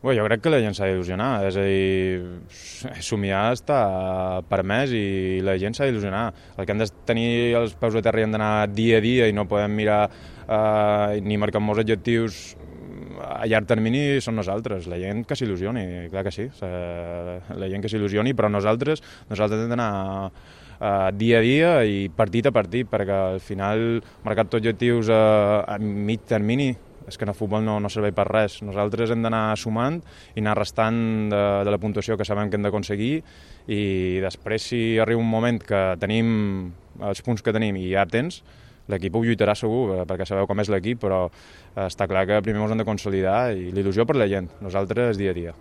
Bé, jo crec que la gent s'ha d'il·lusionar, és a dir, somiar està permès i la gent s'ha d'il·lusionar. El que hem de tenir els peus a terra i hem d'anar dia a dia i no podem mirar ni marcar molts objectius a llarg termini són nosaltres, la gent que s'il·lusioni, clar que sí, la gent que s'il·lusioni, però nosaltres hem d'anar dia a dia i partit a partit, perquè al final marcar tots objectius a mig termini és que en el futbol no serveix per res. Nosaltres hem d'anar sumant i anar restant de la puntuació que sabem que hem d'aconseguir i després, si arriba un moment que tenim els punts que tenim i hi ha temps, l'equip ho lluitarà segur, perquè sabeu com és l'equip, però està clar que primer ens hem de consolidar i l'il·lusió per la gent, nosaltres dia a dia.